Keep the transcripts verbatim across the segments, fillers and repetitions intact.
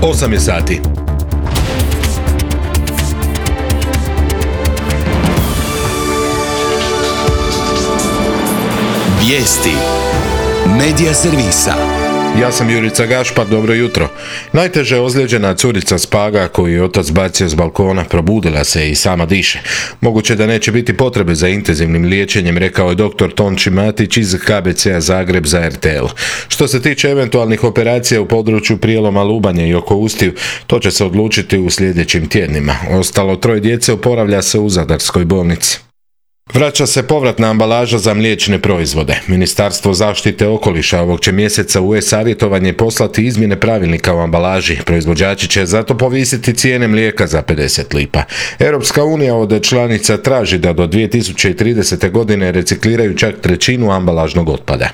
osam je sati. Vijesti Medija servisa. Ja sam Jurica Gašpar, dobro jutro. Najteže ozlijeđena curica s Paga koju je otac bacio s balkona probudila se i sama diše. Moguće da neće biti potrebe za intenzivnim liječenjem, rekao je doktor Tonči Matić iz K B C-a Zagreb za R T L. Što se tiče eventualnih operacija u području prijeloma lubanje i oko ustiju, to će se odlučiti u sljedećim tjednima. Ostalo troje djece oporavlja se u Zadarskoj bolnici. Vraća se povratna ambalaža za mliječne proizvode. Ministarstvo zaštite okoliša ovog će mjeseca u e-savjetovanje poslati izmjene pravilnika o ambalaži. Proizvođači će zato povisiti cijene mlijeka za pedeset lipa. Europska unija od članica traži da do dvije tisuće tridesete. godine recikliraju čak trećinu ambalažnog otpada.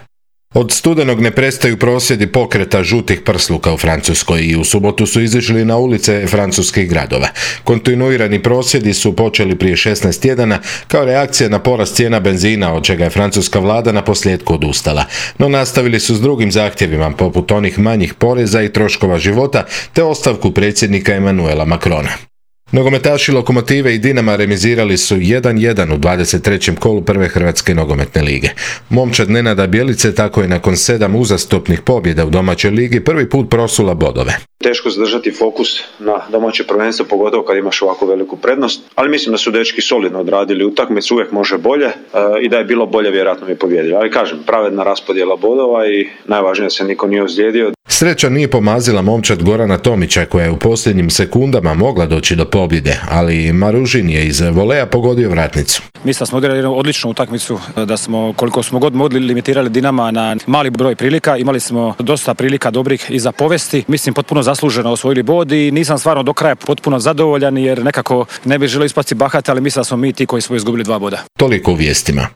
Od studenog ne prestaju prosvjedi pokreta žutih prsluka u Francuskoj i u subotu su izišli na ulice francuskih gradova. Kontinuirani prosvjedi su počeli prije šesnaest tjedana kao reakcija na porast cijena benzina, od čega je francuska vlada na posljedku odustala. No nastavili su s drugim zahtjevima, poput onih manjih poreza i troškova života, te ostavku predsjednika Emmanuela Macrona. Nogometaši Lokomotive i Dinama remizirali su jedan jedan u dvadeset trećem kolu prve Hrvatske nogometne lige. Momčad Nenada Bjelice tako je nakon sedam uzastopnih pobjeda u domaćoj ligi prvi put prosula bodove. Teško zadržati fokus na domaće prvenstvo, pogotovo kad imaš ovako veliku prednost, ali mislim da su dečki solidno odradili utakmicu, uvijek može bolje e, i da je bilo bolje vjerojatno bi pobijedili. Ali kažem, pravedna raspodjela bodova i najvažnije da se niko nije ozlijedio. Sreća nije pomazila momčad Gorana Tomića koja je u posljednjim sekundama mogla doći do pobjede, ali Maružin je iz voleja pogodio vratnicu. Mislim da smo odigrali jednu odličnu utakmicu, da smo koliko smo god mogli limitirali Dinama na mali broj prilika, imali smo dosta prilika dobrih i za povesti. Mislim potpuno zasluženo osvojili bod i nisam stvarno do kraja potpuno zadovoljan jer nekako ne bih želio ispasti bahat, ali mislim da smo mi ti koji smo izgubili dva boda. Toliko u vijestima.